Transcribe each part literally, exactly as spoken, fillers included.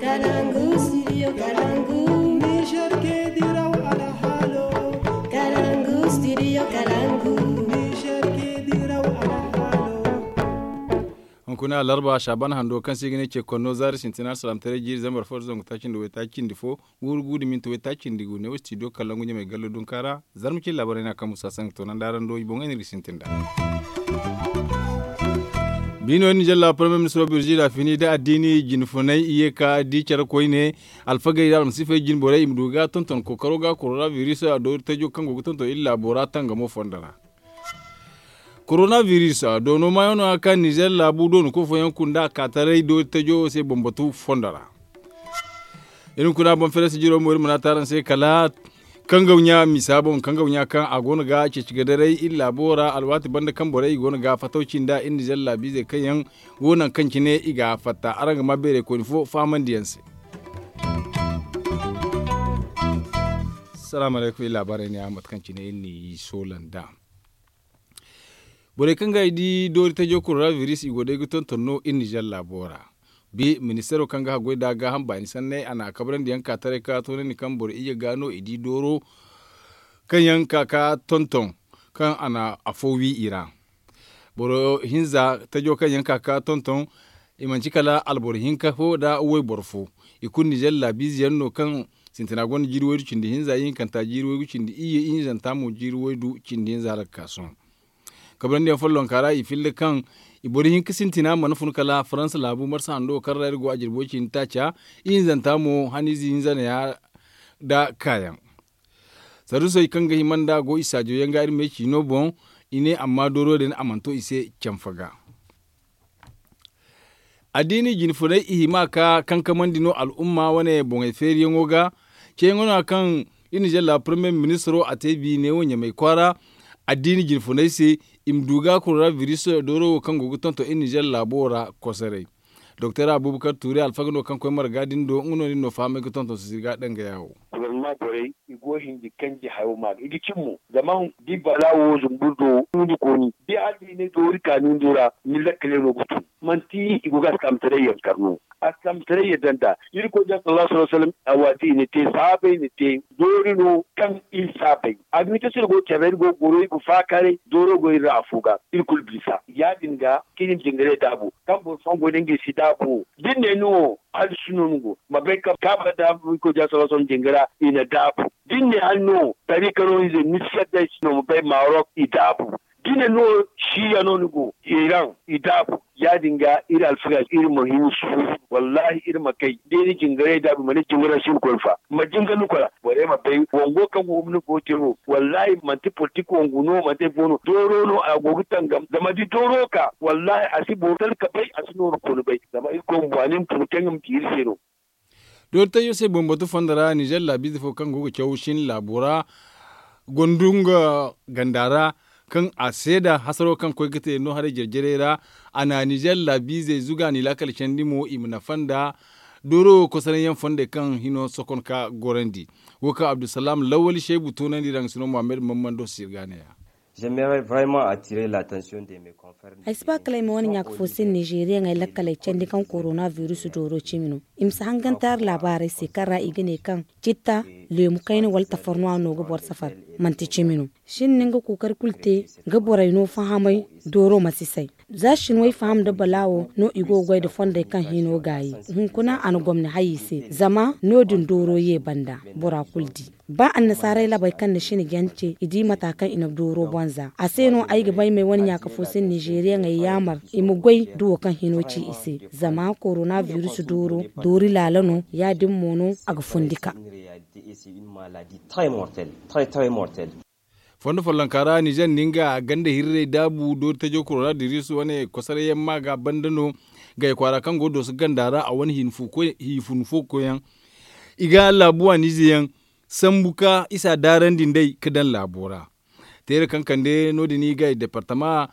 Kalangu studio kalangu. Niger ke diraw alhalo. Kalangu studio kalangu. Niger ke diraw alhalo. Hunkuna larba shaban hando kaŋ se ga ne ce konno zaari sintina salaamtaray jiiri zambar fo da zangu taaci nda waytaaci nda fo. Guuru guuru minti waytaaci nda gu ne wo studio kalangu ɲamay gallo dunkaara. Zarma cin laabaray no a kaŋ musa saŋ ga toonandi araŋ do i boŋey no iri ga sintin nd'a. Biino iri na jalla premier ministro birzi da fini da addiini jinfunay i ye ka di care koyne. Alfagey da almasiifey jinborey i ma du ga tonton kookaro ga korona biris a doori tajo kaŋ go ga tonton iri laabo ra tangamo fondo ra. Korona biris doono maayaŋo no a ka nizer laabu doonako fooyaŋ kunda a ka taray doori tajo se bambatu fondo ra. Iri ma kuna boŋ fereesi jiro mo iri mana taaraŋ se kala kangaw ɲa misa boŋ kangaw ɲa kaŋ a go no ga ceeci ga daray iri laabo ra alwaati banda kaŋ borey i go no ga fatawci nda iri nizer laabiizey kaŋ yaŋ go naŋ kaŋ cine i ga fatta araŋ ga ma beeray koyne fo fahamandiyaŋ se. Salaamu alaykum iri laabaarey ne a mate kaŋ cine iri n'i soola nd'a. Borey kaŋ ga i di doori tajo korona biris i go day ga tonton no iri nizer laabo ra. Bi ministeero kaŋ ga haggoy nd'a gaaham baani sanney a na a kabrandi yaŋ ka taray ka toonandi kaŋ boro iyye ga no i di dooro kaŋ yaŋ ka ka tonton kaŋ a na afo wi i ra. Boro hinza tajo kaŋ yaŋ ka ka tonton i manci kala alboro hinka fo nda wayboro fo. I kulu nizer laabiize yaŋ no kaŋ sintina gonda jiiri waydu cindi hinza ihinkanta jiiri waygu cindi iyye ihinzanta mo jiiri waydu cindi hinza hala ga ka sohõ. Kabrandi yaŋ follonka ra i filla kaŋ i boro hinka sintina mana fun kala faransa laabu marsa hando kaŋ ra iri go a jirbo cindi taaca ihinzanta mo haniize hinza neeya nda kaayaŋ. Sarusey kaŋ ga hima nda go i saajo yaŋ ga iri me ciino boŋ i ne amma dooro din a mana to i se canfa ga. Addiini jinfunay i hima ka kankamandi no al'umma wane boŋey feeriyaŋo ga. Ceeyaŋo no kaŋ iri na jalla premier ministro a te bi neewo ɲamay kwaara addiini jinfunay se i ma du ga korona biris dooro wo kaŋ go ga tonton iri na jalla laabo ra kosoray. Doktor abubakar tuuri alfaga no kaŋ koy marga din do nga no nin no fahamay ga tonton sisiri ga danga yaawo. Gouvernement borey i go hinji kanji hayo ma ga i ga cin mo zama di bala wo zumbur do ni kooni di hala da i ne doori ka ni ndu ra ni lakkale no ga tun. Manti i go ga alkaamtaray yaŋ kar no. Alkaamtaray yaŋ danda irkoy da sallallahu alaihi wasallam a waati i na te saabay na te doori no kaŋ iri saabay a ga ni te se iri go care ra iri go goro iri ga faakaray dooro go iri ra afo ga iri kulu bisa ya- din ga kaŋ iri ma jingaray daabu kaŋ boro fooyaŋ go day ngey si daabu wo da ni ne ni wo hala si no ni go ma bay kaŋ kaaba daabu iri koy da sallallahu alaihi wasallam jinga ra i na daabu da ni ne hala ni wo tariika no ize ni si yadda ay si no ma bay marok i daabu da ni ne ni wo shiya no ni go iran i daabu ya- din ga iri alfaga iri ma hin suuru wallahi iri ma kay da iri jingaray daabu ma ne jinga ra si ni koy fa ma jinga ni koy ra borey ma bay wango kaŋ go ga ni go te wo wallahi manti politik wangu no manti ay fo no dooro no a go ga tangam zama da dooro ka wallahi a si boro talka bay a si nooru kooni bay zama irkoy ma waani ma fun kaŋ ga ma ci iri se no. Doori tajo se bambatu fondo ra nizer laabiize fo kaŋ go ga caw shin laabo ra gonda nga ganda ra kaŋ a seeda hasaro kaŋ koy ga te no haray jare-jarey ra a na nizer laabiizey zuga n'i laakal candi mo i ma nafa nda dooro kosonaŋ yaŋ fondey kaŋ hino sokon ka gorandi. Wo kaŋ abdulsalam lawali seebu toonandi ra nga si no muhammad mammando sirga ne ya. Ay si ba kala ay ma wane ɲaaka fo se nizeriyaŋey lakkaley candi kaŋ korona virus dooro cimi no. I ma si hangantaari laabaarey se kaŋ ra i ga ne kaŋ citta leemu kayna wala tafarnuwa no ga boro safar. Manti cimi no. Shin ni nga kookari kulu te ga borey no fahamay dooro ma si say. Za shin way faham nda balaawo no i go ga goy nda fondey kaŋ hino gaayi. Hunkuna a na gomni hay i se zama no- din dooro ye banda bora kulu di. Ba annasaarey labey kaŋ na shin jance i di mata kaŋ i na dooro bonza a se no ay ga bay may wane ɲaaka fo se nizeriyaŋey yaamar i ma goy da wo kaŋ hino ci i se. Zama korona virus dooro doori laala no ya- din mo no a ga fundi ka. Fondo follonka ra nizer nda nga ganda hirrey daabu doori tajo korona virus wane kosoray yaŋ ma ga banda no gay kwaara kaŋ go dooso ganda ra a wane hiifun fo koyaŋ. I ga laabu waaniize yaŋ sambu ka isa daarandi nd'ey ga daŋ laabo ra. Teere kaŋ kande no- din i gay departama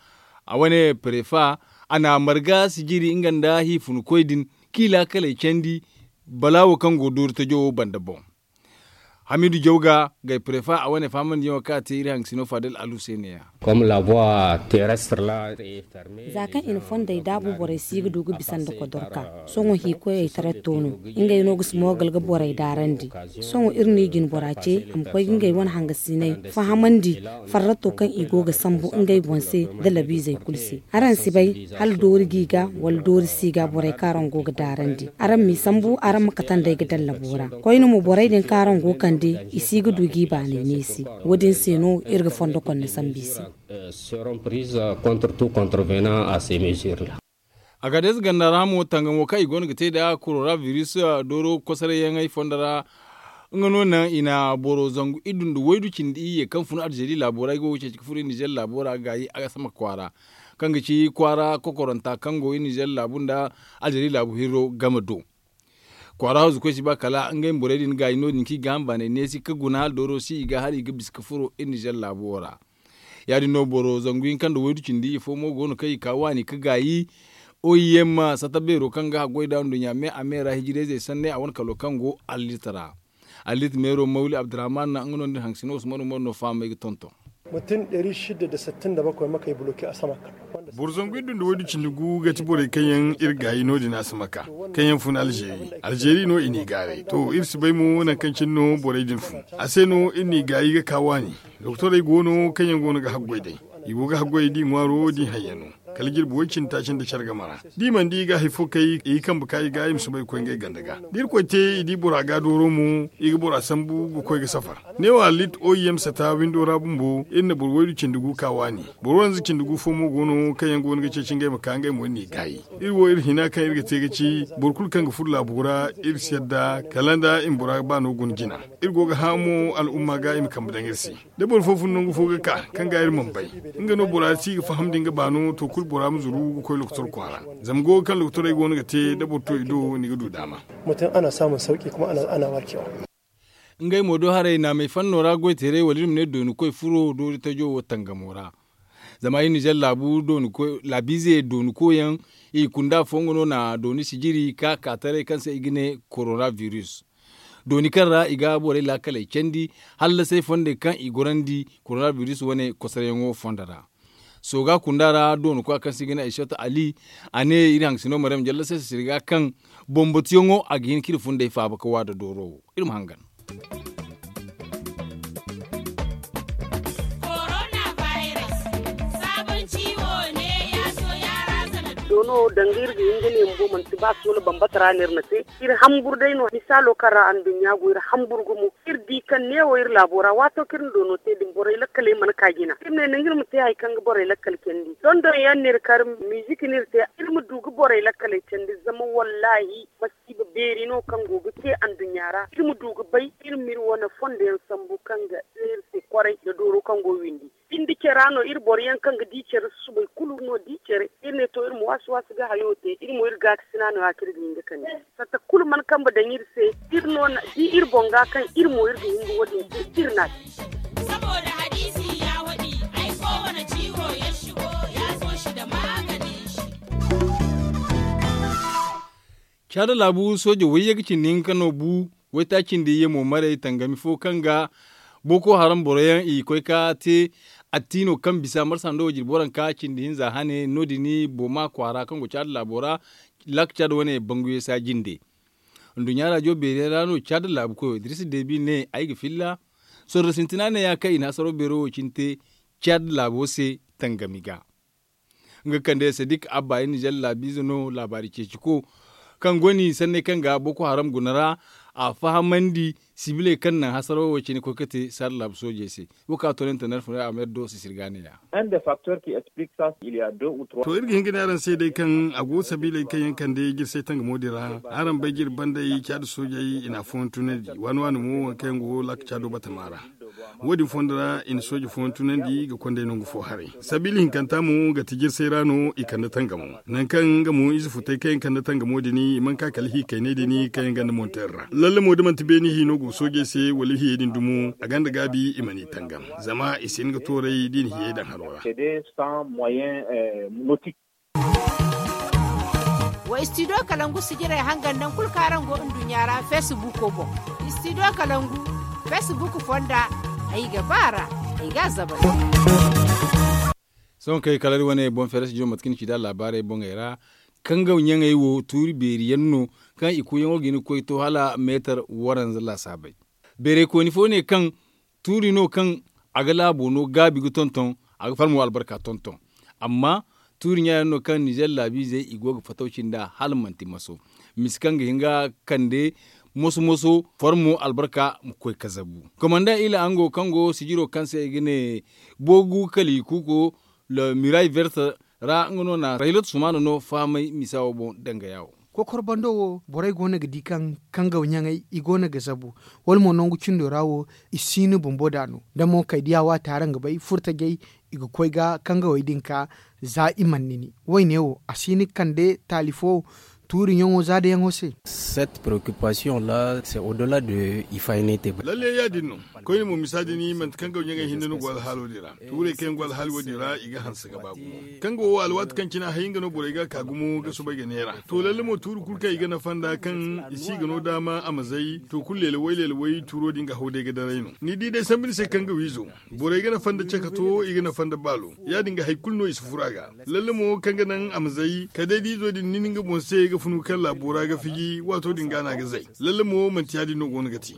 a wane parefa a na marga sijiri nga nda hiifun koy din k'i laakaley candi balaawo kaŋ go doori tajo wo banda boŋ. Hamidu jawga gay prefa a wane fahamandiyaŋo kaŋ a te iri haŋ ga sino fadel alu se ne- ya. Za kaŋ i na fondey daabu borey si ga du ga bisa nda kodorka. Sohõ hiikoyey taratto no ngey no ga si moogal ga borey daarandi. Sohõ iri no i jine bora ce a ma koy ga ngey wane hangasiney fahamandi farratto kaŋ i go ga sambu ngey boŋ se nda labiizey kulu se. Araŋ si bay hala doori g'i ga wala doori si ga borey kaŋ araŋ go ga daarandi. Araŋ m'i sambu araŋ ma kate nd'ey ga daŋ labo ra. Koyne mo borey din kaŋ araŋ go kande i si ga du g'i baanay neesi. Wo- din se no iri ga fondo konne sambu i se. Agades ganda ra mo tangamo kaŋ i go no ga te nd'a korona biris dooro kosoray yaŋey fondo ra. Nga no naŋ i na boro zangu iddu nda waydu cindi iyye kaŋ fun alzeeri laabo ra ay go ga ceeci ga furo iri nizer laabo ra gaayi a ga sama kwaara kaŋ ga ci kwaara kokoranta kaŋ go iri nizer laabu nda alzeeri laabu hirro game do. Kwaara hawzu koy si ba kala ngey ma borey din gaayi no- din kaŋ i ga ham baanay neesi ga guna hala dooro si i ga hala i ga bisa ga furo iri nizer laabo wo ra. Ya- din no boro zangu hinka nda waydu cindi ifo mo go no kaŋ i ka waani ga gaayi. Oy yamma sata beero kaŋ ga haggoy nd'a nduɲɲa me a me ra hijirayzey sanney a wane kalo kaŋ go allit ra. Allit meero mawli abdurrahman nga no nda iri haŋ ga sino usman umaru no fahamay ga tonton. Boro zangu iddu nda waydu cindi gu ga ti borey kaŋ yaŋ iri gaayi no- din a si ma ka kaŋ yaŋ fun alzeeri alzeeri no i n'i gaaray to iri si bay mo nangu kaŋ cine no borey din fun. A se no iri n'i gaayi ga ka waani. Doktorey go no kaŋ yaŋ go no ga haggoy day. I go ga haggoy d'i ŋwaaro d'i hayyano kala jirbi way cindi taaci nda care game ra. D'i mana di i ga hari fo kay i ga kambe ka i ga i ma soobay ga koy ngey ganda ga da irkoy te i di bora ga dooro mo i ga bora sambu ga koy ga safar. Neewo allit oy yaŋ ma sata windo ra bumbo iri na boro waydu cindi gu ka waani. Boro wanza cindi gu fo mo go no kaŋ yaŋ go no ga ceeci ngey ma ka ngey mo iri n'i gaayi. Iri wo iri hina kaŋ iri ga te ga ci boro kulu kaŋ ga furo laabo ra iri si yadda kala nda i ma bora baano guna jina. Iri go ga hã mo al'umma ga i ma kambe daŋ iri se. Da boro fo fun nangu fo ga ka kaŋ ga iri mana bay, nga no bora si ga faham da nga baano to kulu bora ma zuru ga koy lokotor kwaara. Zama go ga kaŋ lokotorey go no ga te da boro to i do ni ga du daama. Mutum ana samun sauki kuma ana warkewa. Ngey mo do haray naamey fanno ra goyteerey wala iri ma ne dooni koy furo doori tajo wo tangamo ra. Zama iri nizer laabu dooni koy laabiize dooni koy yaŋ i kunda fo nga no na dooni sijiri ka ka taray kaŋ se i ga ne korona biris. Dooni kaŋ ra i ga borey laakaley candi hallasey fondey kaŋ i gorandi korona biris wane kosaryaŋo fondo ra. Sooga kunda ra dooni koya kaŋ se i ga ne ay sota ali a ne iri haŋ ga sino mariyam jalla se sirga kaŋ bambatuyaŋo a ga hin ka iri fundey faaba ga waada dooro wo. Iri ma hangan. Doono danga iri ga hin ga ne bumbo manti ba soola bambata ra no iri na te. Iri hamburu day no misaalo kaŋ ra anduɲɲa go iri hamburu gumo. Iri di kaŋ neewo iri laabo ra waato kaŋ iri na doono te din borey lakkaley mana ka jina iri ne nanga iri ma te hari kaŋ ga borey lakkal candi dondon yaŋ no iri kar. Mizik no iri te iri ma du ga borey lakkaley candi zama wallaahi masiiba beeri no kaŋ go ga te anduɲɲa ra iri ma du ga bay iri ma iri wane fondo yaŋ sambu kaŋ ga te iri se kwaray nda dooro kaŋ go windi. Binde care ra no iri boro yaŋ kaŋ ga di care susubay kulu no di care iri ne to iri ma waasi waasi ga hayo te iri mo iri gaakasina no- ya kaŋ iri ga hin ga kande. Fatta kulu mana kambe daŋ iri se iri no na di iri boŋ ga kaŋ iri mo iri ga hin ga wo- din te iri na a ci. Caada laabu sooje wayye ga cindi hinka no bu waytaaci nda iyye mo maray tangami fo kaŋ ga booko haram boro yaŋ i koy ka te. Attino kaŋ bisa marsa nda wo jirbi waranka cindi hinza hane no- din booma kwaara kaŋ go caada laabo ra. Laaka caada wane banguye saaji nde nduɲɲa raajo beerey ra no caada laabu koyo dirisa deebi ne ay ga filla. Sorro sintina ne ya kaŋ i na hasaro beero wo cine te caada laabo se tangami ga. Nga kande sadik abba iri nizer laabiize no laabaari ceeci ko kaŋ go no i sanney kaŋ ga boko haram guna ra. A fahamandi sibiley kaŋ naŋ hasaro wo cine koy ga te saada laabu soojey se. Wo kaŋ a toonante narfunay a ma iri do sisiri ga ne- ya. To iri ga hin ga ne araŋ se day kaŋ a go sabiiley kaŋ yaŋ kande jirsay tangamo din ra. Araŋ bay jiri banday caada soojey i na a fooyaŋ tunandi waani waani mo waŋ kaŋ yaŋ go laaka caado batama ra. Wo- din fondo ra i na sooje fooyaŋ tunandi ga konday nangu fo haray. Sabiila hinkanta mo ga ti jirsay ra no i kande tangamo nangu kaŋ nga mo ize futay kaŋ yaŋ kande tangamo din i mana ka kala hi kaynay din kaŋ yaŋ ganda monter ra lalle mo da manti beene hi no go soojey se wala hiyey din dumo a ganda gaabi i mana i tangam. Zama i si hin ga tooray da i na hiyey daŋ haro ra. Wa istidiyo kalangu sijirey hangan naŋ kulu kaŋ araŋ go nduɲɲa ra feesibuuko boŋ. Istidiyo kalangu Facebook fonda, ay ga ba ra, ay ga a zabari. Sohõ kay kala iri wane boŋ feere si jiro mate kaŋ ni ci nd'a laabaarey boŋey ra. Kangaw ɲaŋey wo tuuri beeri yaŋ no kaŋ i kuuyaŋo ga hin ga koy to hala meetar waranza laasaabey. Beerey kooni fo ne kaŋ tuuri no kaŋ a ga laabo no gaabi ga tonton, a ga farmo albarka tonton. Amma tuuri ɲa yaŋ no kaŋ ninzeer laabiizey i go ga fatawci nd'a hala manti maso, misi kaŋ ga hin ga kande moso moso farmo albarka ma koy kazabu. Komanda ila ango kaŋ go sijiro kaŋ se i ga ne boogu kala i kuuko, le miray verte ra nga no na raylat sumaana no fahamay misa wo boŋ dangaya wo. Kokor bando wo borey go no ga di kaŋ kangaw ɲaŋey i go no ga zabu, wala mo nangu cindo ra wo i si ni bumbo da no da mo kay diya waati araŋ ga bay furtajey i ga koy ga kangawey din ka za i mana nini. Wayne wo a si ni kande taali fo tuuri ɲaŋo za da yaŋo se. Cette préoccupation là c'est au delà de ifaynete. Lalle ya- din no. Koyne mo misa din manti kangaw ɲaŋey hinne no go alhaalo din ra. Tuurey kaŋ yaŋ go alhaali wo- din ra i ga hanse ga ba gumo. Kangawo wo alwaati kaŋ cine a hay nga no borey ga a ka gumo ga soobay ga neera. To lalle mo tuuri kulu kaŋ i ga nafa nd'a kaŋ i si ga no daama a ma zay to kulu leela way leela way tuuro din ga haw day ga daray no ni di day sambu ni se kangawiizo. Borey ga nafa nda cakato i ga nafa nda baalo. Ya- din ga hari kulu no i si furu a ga. Lalle mo kaŋ ga naŋ a ma zay kala day da izo din nin nga boŋ se ga funu kaŋ laabo ra ga fiji waato din ga no a ga zay. Lalle mo manti ya- din no go no ga te.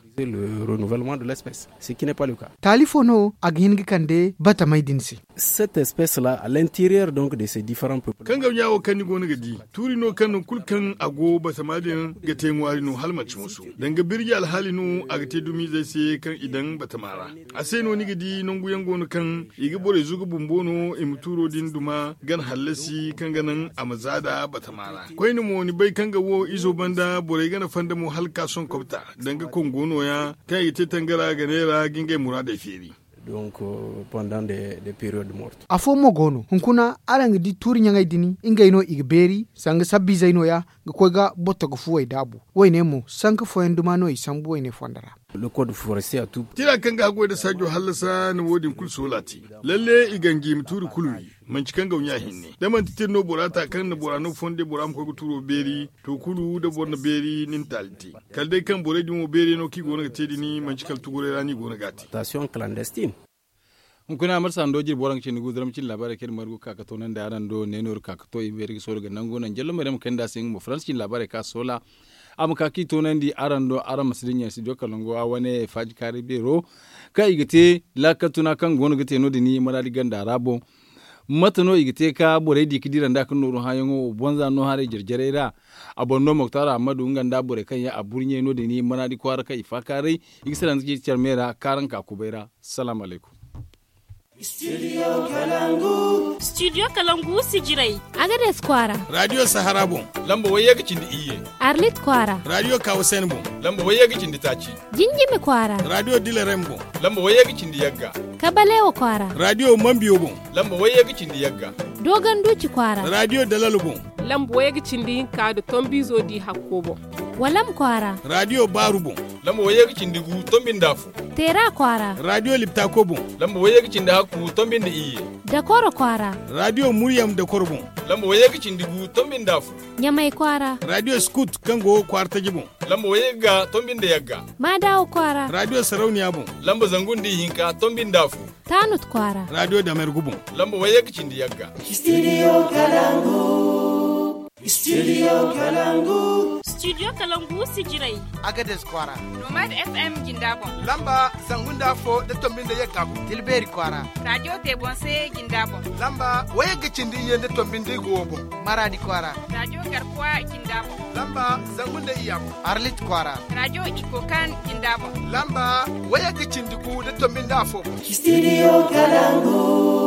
Taali fo no a ga hin ga kande batamey din se. Kangaw ɲa wo kaŋ ni go no ga di tuuri no kaŋ nangu kulu kaŋ a go batama din ga te ŋwaari no hala manti musu danga birji alhaali no a ga te dumiizey se kaŋ i daŋ batama ra. A se no ni ga di nangu yaŋ go no kaŋ i ga borey zuga bumbo no i ma tuuro din duma gana hallasi kaŋ ga naŋ a ma za da batama ra. Koyne mo ni bay kaŋ ga wo izo banda borey gana fanda mo hala ga ka sohõ kobta danga kongo no- ya kaŋ i ga te tangara ga neera ga ngey muraadey feeri. Donc pendant des périodes mortes. Afo mo go no hunkuna araŋ ga di tuuri ɲaŋey din ngey no i ga beeri sanga sabbiizey no- ya ga koy ga botto ga fuwey daabu. Wayne mo sanka fooyaŋ duma no i sambu wayne fondo ra. Tira kaŋ ga haggoy nda saajo hallasa na wo- din kulu soola te. Lalle i ganji ma tuuri kulu wi. Manci kaŋ gawɲa hinne da manti tira no bora ta kaŋ na bora no fonde bora ma koy ga tuuro beeri. To kulu da boro na beeri ni na taali te. Kala day kaŋ borey din wo beeri no kaŋ i go no ga te din manci kala tuguray ra no i go no ga a te. Hunkuna marsa hando jirbi waranka cindi gu zarma cindi laabaarey kaŋ iri margu ga ka ga toonandi araŋ do neenoori ka ga to i ma beeri ga soola ga nangu naŋ jallo mayrey ma kayandi a se nga mo faransa cindi laabaarey kaŋ a soola. A ma ka kaŋ i toonandi araŋ do araŋ ma si dinya studio kalango a wane faaji kaari beero kaŋ i ga te laakal tuna kaŋ go no ga te no- din maraadi ganda ra boŋ. Mate no i ga te ka borey di ga dira nd'a ga nooru hããyaŋo wo bonza no haray jare jarey ra. A boŋ no moktar ahamadu nga nda borey kaŋ yaŋ a burɲey no- din maraadi kwaara kaŋ i faakaaray. I ga salaŋ ga ci care me ra kaaraŋ ka kubay ra. Salaamu alaykum. Studio kalangu sijirey. Agades kwaara. Radio sahara boŋ. Lamba wayye ga cindi iyye. Arlit kwaara. Radio kawasen boŋ. Lamba wayye ga cindi taaci. Jinjimi kwaara. Radio dilarem boŋ. Lamba wayye ga cindi yagga. Kabalewa kwaara. Radio mambiyo boŋ. Lamba wayye ga cindi yagga. Dogon duci kwaara. Radio dalalo boŋ. Lamba wayye ga cindi hinka nda tombiizo di hakko boŋ. Walam kwaara. Radio baaru boŋ. Lamba wayye ga cindi gu tombi nda afo. Teera kwaara. Radio liptako boŋ. Lamba wayye ga cindi hakku tombi nda iyye. Dakoro kwaara. Radio muryam dakoro boŋ. Lamba wayye ga cindi gu tombi nda afo. Ɲamay kwaara. Radio skut kaŋ go kwaara taji boŋ. Lamba wayye ga tombi nda yagga. Maadawa kwaara. Radio sarauniya boŋ. Lamba zangu nda ihinka tombi nda afo. Taanut kwaara. Radio damergu boŋ. Lamba wayye ga cindi yagga. Studio kalangu. Studio kalangu. Studio kalangu sijirey. Agades kwaara. Nomad fm jinda boŋ. Lamba zangu nda afo nda tombi nda yagga boŋ. Tilbeeri kwaara. Radio tebonse jinda boŋ. Lamba wayye ga cindi iyye nda tombi nda igo boŋ. Maraadi kwaara. Radio garkuwa jinda boŋ. Lamba zangu nda iyya boŋ. Arlit kwaara. Radio ikokan jinda boŋ. Lamba wayye ga cindi gu nda tombi nda afo boŋ. Studio kalangu.